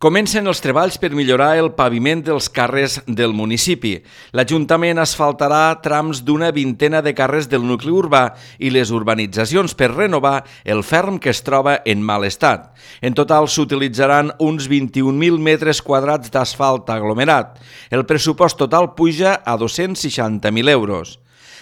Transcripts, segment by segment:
Comencen els treballs per millorar el paviment dels carrers del municipi. L'Ajuntament asfaltarà trams d'una vintena de carrers del nucli urbà i les urbanitzacions per renovar el ferm que es troba en mal estat. En total s'utilitzaran uns 21.000 metres quadrats d'asfalt aglomerat. El pressupost total puja a 260.000 euros.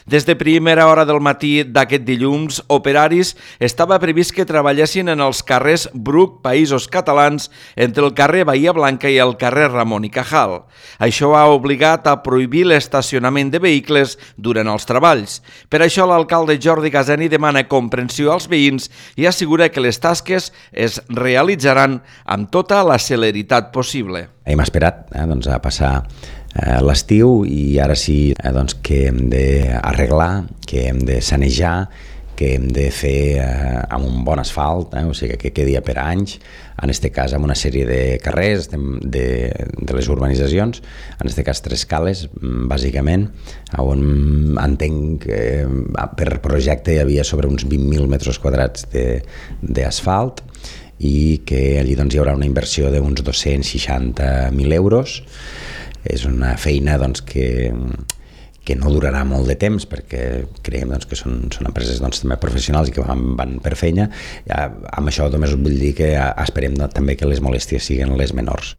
Des de primera hora del matí d'aquest dilluns, operaris estava previst que treballessin en els carrers Bruc, Països Catalans, entre el carrer Bahia Blanca i el carrer Ramon i Cajal. Això ha obligat a prohibir l'estacionament de vehicles durant els treballs. Per això l'alcalde Jordi Gaseni demana comprensió als veïns i assegura que les tasques es realitzaran amb tota la celeritat possible. Hem esperat a passar l'estiu i ara sí que hem d'arreglar, que hem de sanejar, que hem de fer amb un bon asfalt, o sigui que quedi per anys, en aquest cas amb una sèrie de carrers de les urbanitzacions, en aquest cas 3 cales, bàsicament, on entenc que per projecte hi havia sobre uns 20.000 metres quadrats d'asfalt i que allí hi haurà una inversió d'uns 260.000 euros. És una feina que no durarà molt de temps perquè creiem que són empreses també professionals i que van per feina. Amb això només vull dir que esperem també que les molèsties siguin les menors.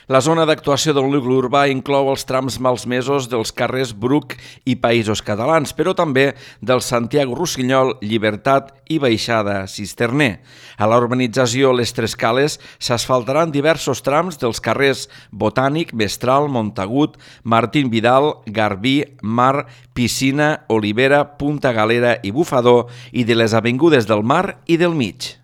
La zona d'actuació del nucli urbà inclou els trams malmesos dels carrers Bruc i Països Catalans, però també del Santiago Rossinyol, Llibertat i Baixada Cisterner. A la urbanització Les Tres Cales s'asfaltaran diversos trams dels carrers Botànic, Mestral, Montagut, Martín Vidal, Garbí, Mar, Piscina, Olivera, Punta Galera i Bufador i de les avingudes del Mar i del Mig.